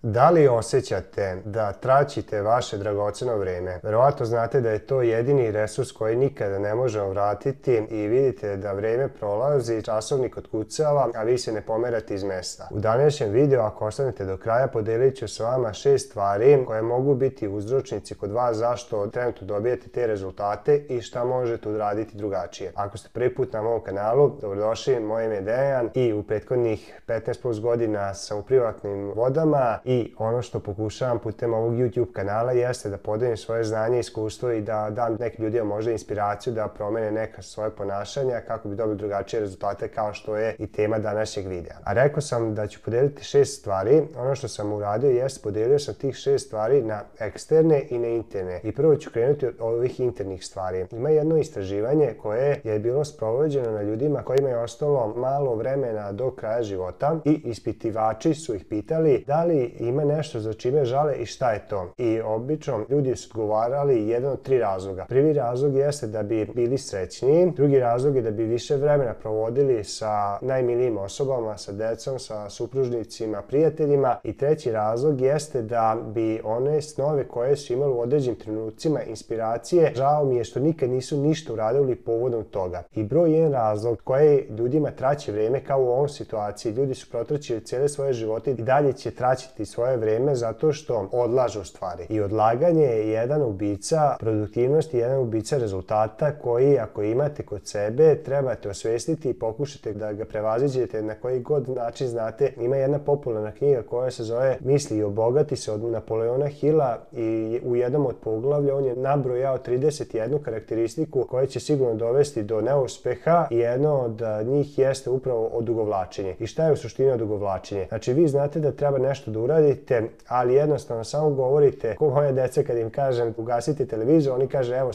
Da li osjećate da traćite vaše dragoceno vreme? Verovatno znate da je to jedini resurs koji nikada ne možemo vratiti i vidite da vreme prolazi, časovnik otkucava, a vi se ne pomerate iz mesta. U današnjem videu, ako ostanete do kraja, podelit ću s vama 6 stvari koje mogu biti uzročnici kod vas zašto trenutno dobijete te rezultate i šta možete uraditi drugačije. Ako ste prvi put na mom kanalu, dobrodošli, moje ime je Dejan i u prethodnih 15 plus godina sam u privatnim vodama i ono što pokušavam putem ovog YouTube kanala jeste da podelim svoje znanje i iskustvo i da dam nekim ljudima možda inspiraciju da promene neka svoje ponašanja kako bi dobili drugačije rezultate kao što je i tema današnjeg videa. A rekao sam da ću podeliti 6 stvari. Ono što sam uradio jeste podelio sam tih 6 stvari na eksterne i na interne. I prvo ću krenuti od ovih internih stvari. Ima jedno istraživanje koje je bilo sprovođeno na ljudima kojima je ostalo malo vremena do kraja života i ispitivači su ih pitali da li ima nešto za čime žale i šta je to. I obično ljudi su odgovarali jedan od 3 razloga. Prvi razlog jeste da bi bili srećniji, drugi razlog je da bi više vremena provodili sa najmilijim osobama, sa decom, sa supružnicima, prijateljima i treći razlog jeste da bi one snove koje su imali u određenim trenucima inspiracije, žao mi je što nikad nisu ništa uradili povodom toga. I broj jedan razlog koji ljudima traće vreme kao u ovom situaciji, ljudi su protraćili cijele svoje živote i dalje će traćiti svoje vreme zato što odlažu stvari. I odlaganje je jedan ubica produktivnosti, jedan ubica rezultata koji ako imate kod sebe trebate osvestiti i pokušate da ga prevaziđete na koji god način znate. Ima jedna popularna knjiga koja se zove Misli i obogati se od Napoleona Hilla i u jednom od poglavlja on je nabrojao 31 karakteristiku koja će sigurno dovesti do neuspeha i jedno od njih jeste upravo odugovlačenje. I šta je u suštini odugovlačenje? Znači vi znate da treba nešto da uradite, ali jednostavno samo govorite, ko moja deca kad im kažem ugasite televizor, oni kaže evo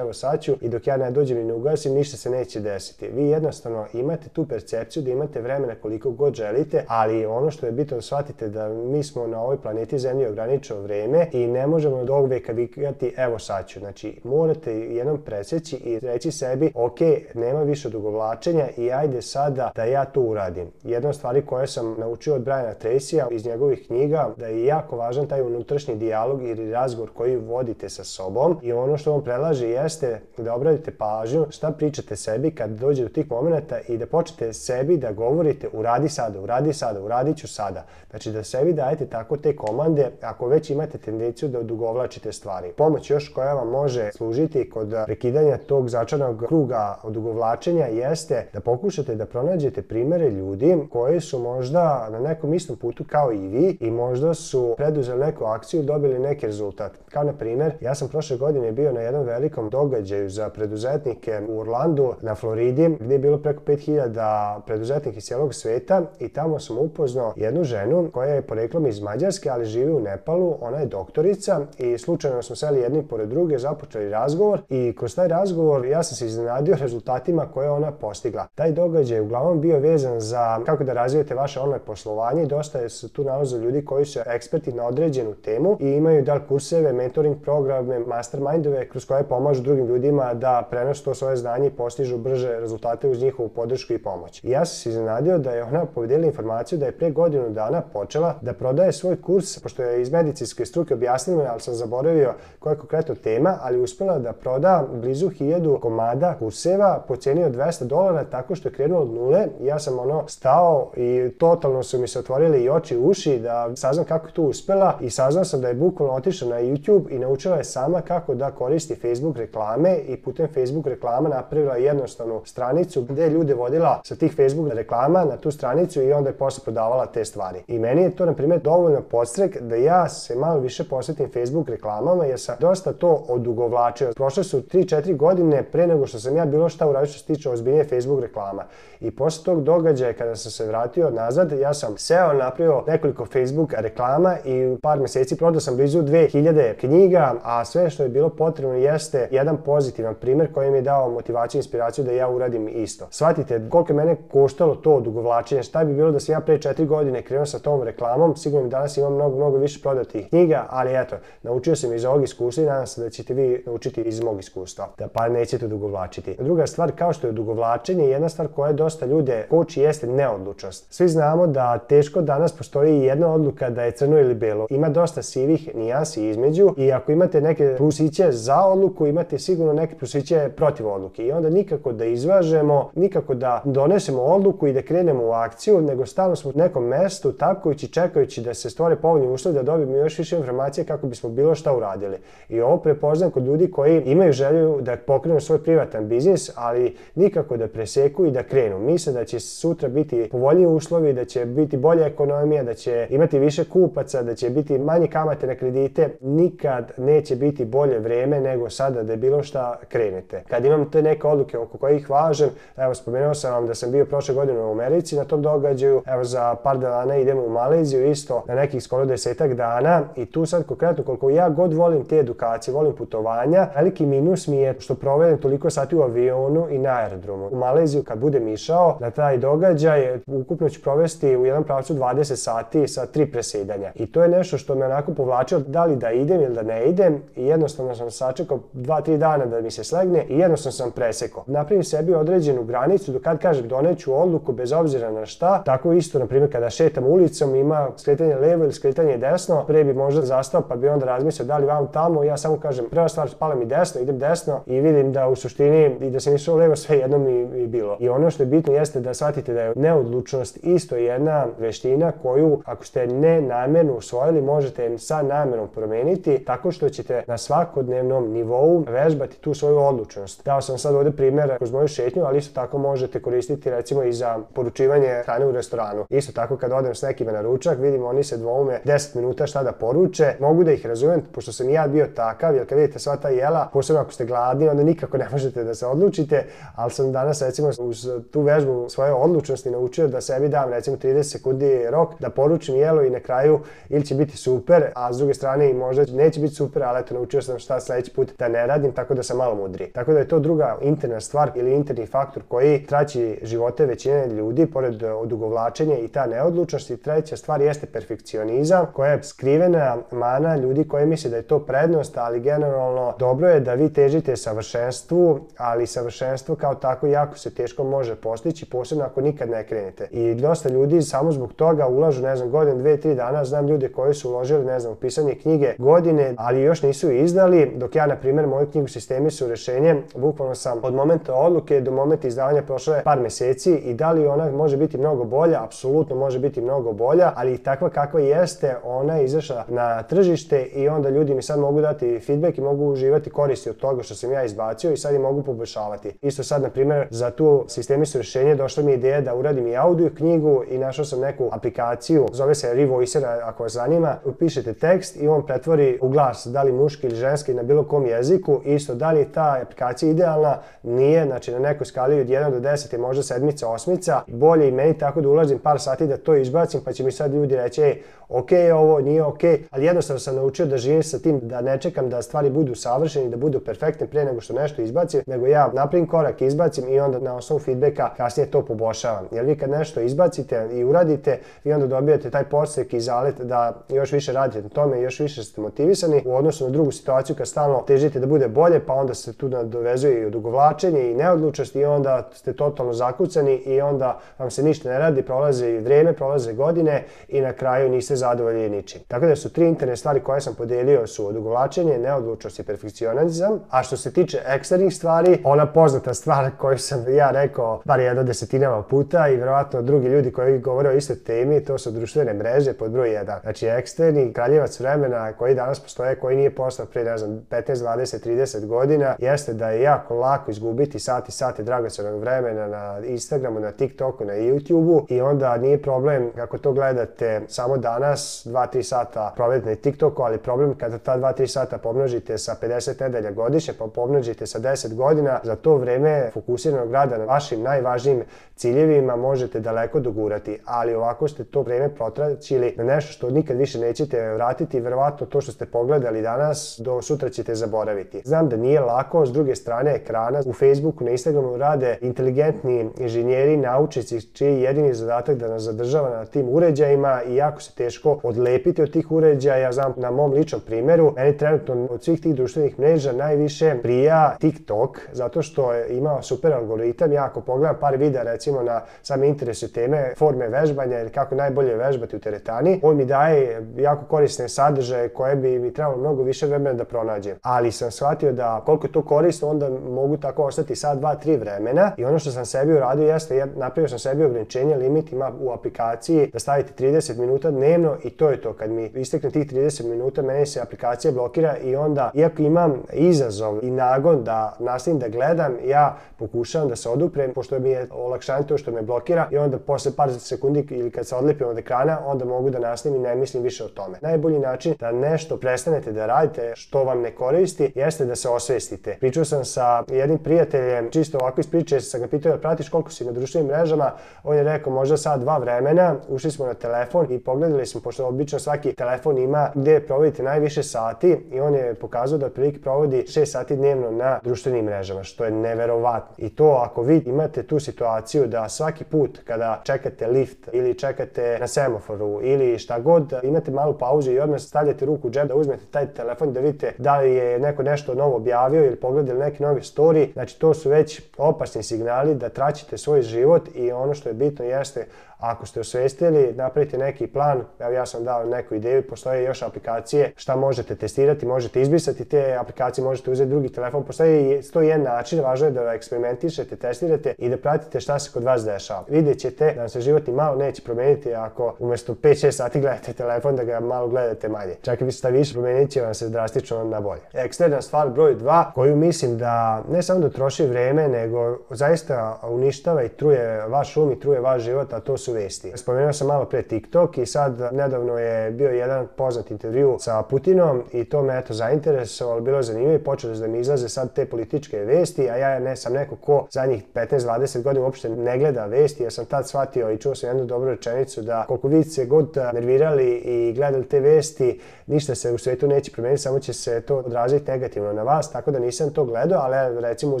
sad ću i dok ja ne dođem i ne ugasim ništa se neće desiti. Vi jednostavno imate tu percepciju da imate vremena koliko god želite, ali ono što je bitno da shvatite da mi smo na ovoj planeti Zemlji ograničeno vreme i ne možemo do ovog veka vikati evo sad ću. Znači morate jednom presjeći i reći sebi ok, nema više odugovlačenja i ajde sada da ja to uradim. Jedna od stvari koje sam naučio od Briana Tracyja iz njegovih knjiga da je jako važan taj unutrašnji dijalog ili razgovor koji vodite sa sobom i ono što vam predlaže jeste da obratite pažnju šta pričate sebi kad dođe do tih momenata i da počnete sebi da govorite uradit sada, uradit ću sada. Znači da sebi dajete tako te komande ako već imate tendenciju da odugovlačite stvari. Pomoć još koja vam može služiti kod prekidanja tog začaranog kruga odugovlačenja jeste da pokušate da pronađete primere ljudi koji su možda na nekom istom putu kao i vi i možda su preduzeli neku akciju i dobili neki rezultat. Kao na primjer, ja sam prošle godine bio na jednom velikom događaju za preduzetnike u Orlandu na Floridi gdje je bilo preko 5000 preduzetnika iz cijelog sveta i tamo sam upoznao jednu ženu koja je poreklom iz Mađarske, ali živi u Nepalu. Ona je doktorica i slučajno smo seli jedni pored druge, započeli razgovor i kroz taj razgovor ja sam se iznenadio rezultatima koje ona postigla. Taj događaj je uglavnom bio vezan za kako da razvijete vaše online poslovanje i dosta se tu nalaze ljudi koji su eksperti na određenu temu i imaju da li kurseve, mentoring programe, mastermindove kroz koje pomažu drugim ljudima da prenosu to svoje znanje i postižu brže rezultate uz njihovu podršku i pomoć. I ja sam se iznenadio da je ona podelila informaciju da je pre godinu dana počela da prodaje svoj kurs, pošto je iz medicinske struke objasnila, ali sam zaboravio koja je konkretno tema, ali uspela da proda blizu 1000 komada kurseva po cijeni od $200 tako što je krenuo od nule. Ja sam stao i totalno su mi se otvorile i oči i uši da saznam kako je to uspela i saznao sam da je bukvalno otišla na YouTube i naučila je sama kako da koristi Facebook reklame i putem Facebook reklama napravila jednostavnu stranicu gdje je ljude vodila sa tih Facebook reklama na tu stranicu i onda je posle prodavala te stvari. I meni je to na primjer dovoljno podstrek da ja se malo više posvetim Facebook reklamama jer sam dosta to odugovlačio. Prošle su 3-4 godine pre nego što sam ja bilo šta uradio što se tiče ozbiljnije Facebook reklama. I posle tog događaja kada sam se vratio nazad, ja sam seo, napravio nekoliko Facebook reklama i u par mjeseci prodao sam blizu 2000 knjiga, a sve što je bilo potrebno jeste jedan pozitivan primjer koji mi je dao motivaciju i inspiraciju da ja uradim isto. Shvatite koliko je mene koštalo to odugovlačenje, šta bi bilo da sam ja pre 4 godine krenuo sa tom reklamom, sigurno mi danas imam mnogo više prodatih knjiga, ali eto, naučio sam iz ovog iskustva i nadam se da ćete vi naučiti iz mog iskustva, da pa nećete odugovlačiti. Druga stvar, kao što je odugovlačenje, jedna stvar koja dosta ljude koči jeste neodlučnost. Svi znamo da teško danas postoji jedna odluka da je crno ili belo. Ima dosta sivih nijansi između i ako imate neke plusiće za odluku, imate sigurno neke plusiće protiv odluke. I onda nikako da izvažemo, nikako da donesemo odluku i da krenemo u akciju, nego stalno smo u nekom mestu takujući, čekajući da se stvore povoljni uslovi da dobijemo još više informacije kako bismo bilo šta uradili. I ovo prepoznam kod ljudi koji imaju želju da pokrenu svoj privatan biznis, ali nikako da preseku i da krenu. Misle da će sutra biti povoljniji uslovi, da će biti bolja ekonomija, da će imati više kupaca, da će biti manje kamate na kredite. Nikad neće biti bolje vreme nego sada da je bilo šta krenete. Kad imam te neke odluke oko kojih važem, evo spomenuo sam vam da sam bio prošle godine u Americi na tom događaju, evo za par dana idemo u Maleziju isto na nekih skoro 10 dana i tu sad konkretno koliko ja god volim te edukacije, volim putovanja, veliki minus mi je što provedem toliko sati u avionu i na aerodromu. U Maleziju kad budem išao na taj događaj, ukupno ću provesti u jedan pravcu 20 sati sa 3 presedanja. I to je nešto što me onako povlačilo da li da idem ili da ne idem i jednostavno sam sačekao 2-3 dana da mi se slegne i jednostavno sam presekao. Napravim sebi određenu granicu do kad kažem doneću odluku bez obzira na šta. Tako isto, na primjer, kada šetam ulicom ima skretanje levo ili skretanje desno, pre bi možda zastao pa bi onda razmislio da li vam tamo, ja samo kažem prva stvar spala mi desno, idem desno i vidim da u suštini i da sam išao levo sve jedno mi bilo. I ono što je bitno jeste da shvatite da je neodlučnost isto jedna veština koju ako ste nenamjerno usvojili možete sa namjerom promeniti tako što ćete na svakodnevnom nivou vežbati tu svoju odlučnost. Dao sam sad ovdje primjer kroz moju šetnju, ali isto tako možete koristiti recimo i za poručivanje hrane u restoranu. Isto tako kad odem s nekima na ručak, vidim oni se dvoume 10 minuta šta da poruče, mogu da ih razumem, pošto sam i ja bio takav, jer kad vidite sva ta jela, posebno ako ste gladni, onda nikako ne možete da se odlučite, ali sam danas recimo uz tu vežbu svoje odlučnosti naučio da sebi dam recimo 30 sekundi rok, da poručim jelo i na kraju ili će biti super, a s druge strane i možda neće biti super, ali eto naučio sam šta sledeći put da ne radim, tako da sam malo mudri. Tako da je to druga interna stvar ili interni faktor koji traći živote većine ljudi, pored odugovlačenja i ta neodlučnost. I treća stvar jeste perfekcionizam, koja je skrivena mana ljudi koji misle da je to prednost, ali generalno dobro je da vi težite savršenstvu, ali savršenstvo kao tako jako se teško može postići, posebno ako nikad ne krenete. I dosta ljudi samo zbog toga ulažu, ne znam, godinu, 2-3 dana, znam ljude koji su uložili, ne znam, u pisanje knjige godine, ali još nisu izdali, dok ja, na primjer, moju knjigu Sistemi su rešenje, bukvalno sam od momenta odluke do momenta izdavanja prošlo je par meseci i da li ona može biti mnogo bolja, apsolutno može biti mnogo bolja, ali i takva kakva jeste, ona je izašla na tržište i onda ljudi mi sad mogu dati feedback i mogu uživati koristi od toga što sam ja izbacio i sad i mogu poboljšavati. Isto sad, na primjer, za tu Sistemi su rešenje došla mi ideja da uradim i audio knjigu i našao sam neku aplikaciju, zove se Revoicer, ako vas zanima, upišete tekst i on pretvori u glas, da li muški ili ženski na bilo kom jeziku. Isto, da li je ta aplikacija idealna? Nije, znači na nekoj skali od 1 do 10 je možda 7, 8, bolje i meni tako da ulazim par sati da to izbacim, pa će mi sad ljudi reći ok, ovo nije ok, ali jednostavno sam naučio da živim sa tim, da ne čekam da stvari budu savršene, da budu perfektne pre nego što nešto izbacim, nego ja napravim korak, izbacim i onda na osnovu feedbacka kasnije to poboljšavam. Jer vi kad nešto izbacite i uradite, vi onda dobijate taj podstrek i zalet da još više radite na tome, još više ste motivisani u odnosu na drugu situaciju kad stalno težite da bude bolje, pa onda se tu dovezuje i odugovlačenje i neodlučnost i onda ste totalno zakucani i onda vam se ništa ne radi, prolaze vreme, prolaze godine i na kraju niste zadovoljni ničim. Tako da su 3 interne stvari koje sam podelio su odugovlačenje, neodlučnost i perfekcionizam. A što se tiče eksternih stvari, ona poznata stvar koju sam ja rekao bar jedno desetinama puta i verovatno drugi ljudi koji govore o istoj temi, to su društvene mreže pod broj 1. Znači eksterni kraljevac vremena koji danas postoje, koji nije postao pre, ne znam, 15, 20, 30 godina, jeste da je jako lako izgubiti sati dragocenog vremena na Instagramu, na TikToku, na YouTubeu i onda nije problem kako to gledate samo danas, 2-3 sata provedete na TikToku, ali problem kada ta 2-3 sata pomnožite sa 50 nedelja godišnje, pa pomnožite sa 10 godina, za to vreme fokusiranog rada na vašim najvažnijim ciljevima možete daleko dogurati, ali ovako ste to vreme potraćili na nešto što nikad više nećete vratiti i verovatno to što ste pogledali danas do sutra ćete zaboraviti. Znam da nije lako, s druge strane ekrana u Facebooku, na Instagramu rade inteligentni inženjeri, naučnici čiji je jedini zadatak da nas zadržava na tim uređajima i jako se teško odlepiti od tih uređaja. Znam na mom ličnom primjeru, meni trenutno od svih tih društvenih mreža najviše prija TikTok, zato što je imao super algoritam. Ja ako pogledam par videa recimo na same interese teme, forme vežbanja ili kako najbolje vežbati vežbati u teretani. On mi daje jako korisne sadržaje koje bi mi trebalo mnogo više vremena da pronađem. Ali sam shvatio da koliko je to korisno, onda mogu tako ostati sat, 2, 3 vremena. I ono što sam sebi uradio jeste, napravio sam sebi ograničenje, limit ima u aplikaciji da stavite 30 minuta dnevno i to je to. Kad mi istekne tih 30 minuta, meni se aplikacija blokira i onda, iako imam izazov i nagon da nastavim da gledam, ja pokušavam da se oduprem, pošto mi je olakšanje to što me blokira i onda posle par sekundi ili kad se odlepim od ekrana, onda mogu da nastavim i ne mislim više o tome. Najbolji način da nešto prestanete da radite što vam ne koristi jeste da se osvestite. Pričao sam sa jednim prijateljem, čisto ovako iz priče, sam ga pitao da pratiš koliko si na društvenim mrežama, on je rekao možda sat, 2 vremena, ušli smo na telefon i pogledali smo, pošto obično svaki telefon ima gde provodite najviše sati i on je pokazao da otprilike provodi 6 sati dnevno na društvenim mrežama, što je neverovatno. I to ako vi imate tu situaciju da svaki put kada čekate lift ili čekate na semaforu ili šta god, imate malu pauzu i odmah stavljate ruku u džep da uzmete taj telefon da vidite da li je neko nešto novo objavio ili pogledali neki novi story, znači to su već opasni signali da traćite svoj život i ono što je bitno jeste ako ste osvestili, napravite neki plan, evo ja sam dao neku ideju, postoje još aplikacije šta možete testirati, možete izbrisati te aplikacije, možete uzeti drugi telefon, postoji 101 način, važno je da eksperimentišete, testirate i da pratite šta se kod vas dešava. Vidjet ćete da vam se život ni malo neće promeniti ako umjesto 5-6 sati gledate telefon, da ga malo gledate manje. Čak i šta više promenit će vam se drastično na bolje. Eksterna stvar broj 2, koju mislim da ne samo da troši vreme, nego zaista uništava i truje vaš um i truje vaš život, a to su vesti. Spomenuo sam malo pre TikTok i sad nedavno je bio jedan poznat intervju sa Putinom i to me eto zainteresovalo, bilo je zanimljivo i počelo da mi izlaze sad te političke vesti, a ja ne sam neko ko zadnjih 15-20 godina uopšte ne gleda vesti, jer sam tad shvatio i čuo sam jednu dobru rečenicu da koliko vi se god nervirali i gledali te vesti, ništa se u svetu neće promeniti, samo će se to odraziti negativno na vas, tako da nisam to gledao, ali recimo u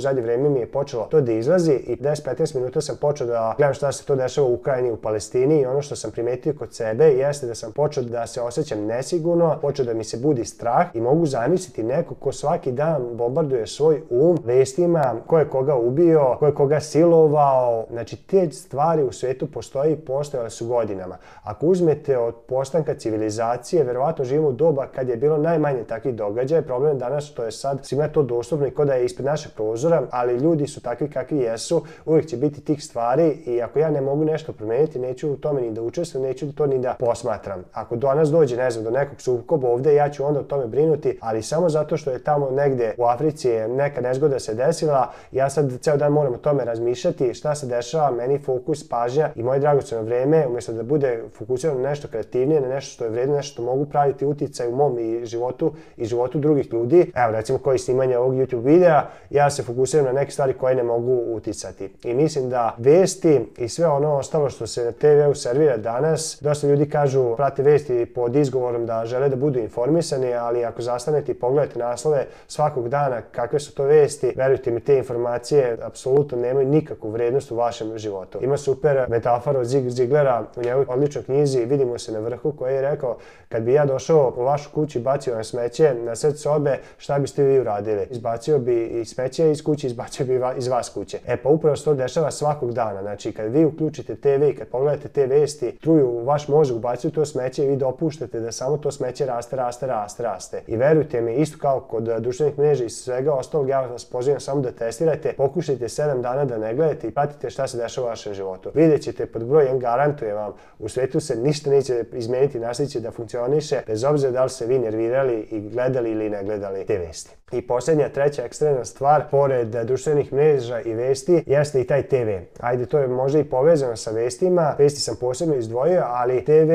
zadnje vreme mi je počelo to da izlazi i 10-15 minuta sam počeo da gledam šta se to dešava u Ukrajini, u Palestini i ono što sam primetio kod sebe jeste da sam počeo da se osjećam nesigurno, počeo da mi se budi strah i mogu zamisliti neko ko svaki dan bombarduje svoj vestima, ko je koga ubio, ko je koga silovao, znači te stvari u svetu postoje i postojale su godinama. Ako uzmete od postanka civilizacije, verovatno živimo u doba kad je bilo najmanje takvih događaja, problem je danas što je sad svima to dostupno i ko da je ispred našeg prozora, ali ljudi su takvi kakvi jesu, uvijek će biti tih stvari i ako ja ne mogu nešto promeniti, neću u tome ni da učestvujem, neću to ni da posmatram. Ako do nas dođe, ne znam, do nekog sukoba ovde, ja ću onda o tome brinuti, ali samo zato što je tamo negde u Africi neka nezgoda se desila, ja sad ceo dan moram o tome razmišljati, šta se dešava, meni fokus, pažnja i moje dragoceno vreme, umjesto da bude fokusirano na nešto kreativnije, na nešto što je vredno, nešto što mogu praviti uticaj u mom i životu drugih ljudi. Evo, recimo koji snimanje ovog YouTube videa, ja se fokusiram na neke stvari koje ne mogu uticati. I mislim da vesti i sve ono ostalo što se na TV-u servira danas, dosta ljudi kažu, prate vesti pod izgovorom da žele da budu informisani, ali ako zastanete i pogledate naslove svakog dana kakve su to vesti, verujte mi, te informacije apsolutno nemaju nikakvu vrednost u vašem životu. Ima super metafora od Zig Ziglera u njegovoj odličnoj knjizi Vidimo se na vrhu, koji je rekao, kad bi ja došao u vašu kuću i bacio na smeće na sred sobe, šta biste vi uradili? Izbacio bi i smeće iz kuće, izbacio bi iz vas kuće. E pa upravo se to dešava svakog dana. Znači kad vi uključite TV i kad pogledate te vesti, truju u vaš mozak, ubacuju to smeće i vi dopuštate da samo to smeće raste. I verujte mi, isto kao kod društvenih mreža i svega ostalog, ja vas pozivam samo da testirate, pokušajte 7 dana da ne gledate i pratite šta se dešava u vašem životu. Vidjet ćete, pod broj 1 garantujem vam, u svetu se ništa neće izmeniti, nastavit će da funkcioniše, bez obzira da li se vi nervirali i gledali ili ne gledali te vesti. I posljednja, treća ekstremna stvar, pored društvenih mreža i vesti, jeste i taj TV. Ajde, to je možda i povezano sa vestima, vesti sam posebno izdvojio, ali TV,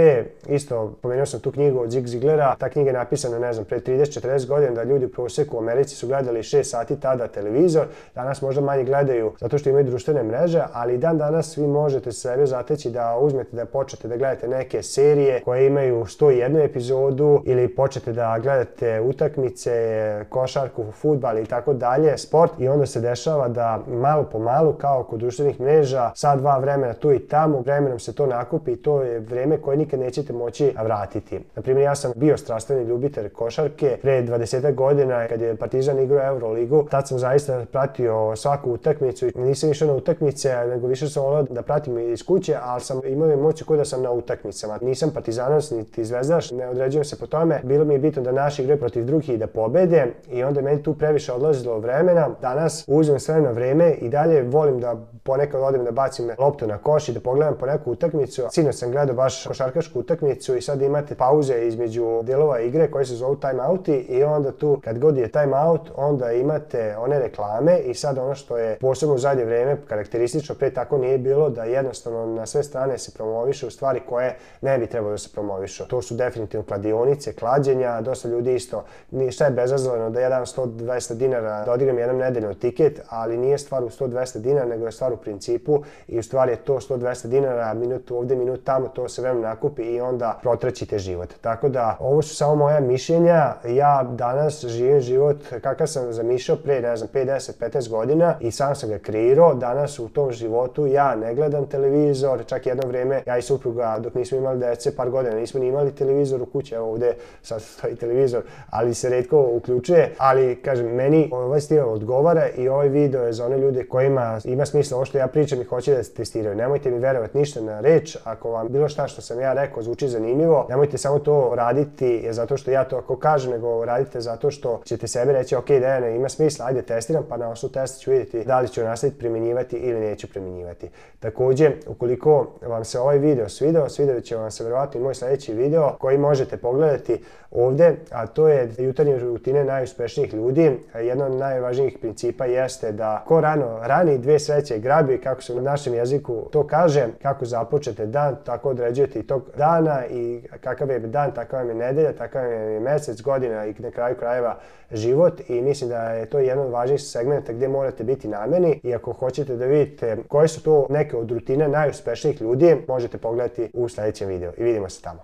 isto, pomenuo sam tu knjigu od Zig Ziglera, ta knjiga je napisana, ne znam, pre 30-40 godina, da ljudi u prosjeku u Americi su gledali 6 sati tada televizor, danas možda manje gledaju zato što imaju društvene mreže, ali dan danas vi možete sebe zateći da uzmete, da počnete da gledate neke serije koje imaju 101 epizodu ili počnete da gledate utakmice, košarku, fudbal i tako dalje, sport, i onda se dešava da malo po malo, kao kod društvenih mreža, sat, 2 vremena tu i tamo, vremenom se to nakupi i to je vreme koje nikad nećete moći vratiti. Naprimjer, ja sam bio strastveni ljubitelj košarke pre 20 godina kad je Partizan igrao Euroligu. Tad sam zaista pratio svaku utakmicu i nisam išao na utakmice, nego više sam volao da pratim iz kuće, ali sam imao emociju kao da sam na utakmicama. Nisam partizanac niti zvezdaš, ne određujem se po tome. Bilo mi je bitno da naši igraju protiv drugih i da pobede i onda meni tu previše odlazilo vremena. Danas uzmem sve na vreme i dalje volim da ponekad odem da bacim loptu na koš i da pogledam po neku utakmicu. Sinoć sam gledao baš košarkašku utakmicu i sad imate pauze između delova igre koje se zovu timeouti i onda tu kad god je timeout onda imate one reklame i sad ono što je posebno u zadnje vreme karakteristično, pre tako nije bilo, da jednostavno na sve strane se promovišu stvari koje ne bi trebalo da se promovišu. To su definitivno kladionice, klađenja, dosta ljudi isto, šta je bezazleno da ja dam 100-200 dinara da odigram jedan nedeljno tiket, ali nije stvar u 100-200 dinara, nego je stvar u principu i u stvari je to 100-200 dinara, minut ovde, minut tamo, to se vremena nakupi i onda protraćite život. Tako da, ovo su samo moja mišljenja, ja danas živim život kakav sam zamišljao pre, ne znam, 5, 10, 15 godina i sam sam ga kreirao. Danas u tom životu ja ne gledam televizor, čak jedno vreme ja i supruga dok nismo imali dece, par godina nismo ni imali televizor u kući, evo ovde sad stoji televizor, ali se retko uključuje, ali kažem, meni ovaj stil odgovara i ovaj video je za one ljude kojima ima smisla ovo što ja pričam i hoće da se testiraju. Nemojte mi verovati ništa na reč, ako vam bilo šta što sam ja rekao zvuči zanimljivo, nemojte samo to raditi zato što ja to ako kažem, nego radite zato što ćete sebi reći ok, Dejane, ima smisla, ajde testiram, pa na osnovu testa ću vidjeti da li ću nastaviti primjenjivati ili neću primjenjivati. Takođe, ukoliko vam se ovaj video svideo, svidjet će vam se verovatno i moj sledeći video koji možete pogledati ovde, a to je jutarnje rutine najuspešnijih ljudi. Jedno od najvažnijih principa jeste da ko rano rani, dve sreće grabi, kako se u našem jeziku to kaže, kako započete dan, tako određujete i tog dana i kakav je dan, takav vam je nedelja, takav je mesec, godina i na kraju krajeva život i mislim da je to jedan od važnijih segmenta gdje morate biti nameni i ako hoćete da vidite koje su to neke od rutine najuspešnijih ljudi, možete pogledati u sledećem videu i vidimo se tamo.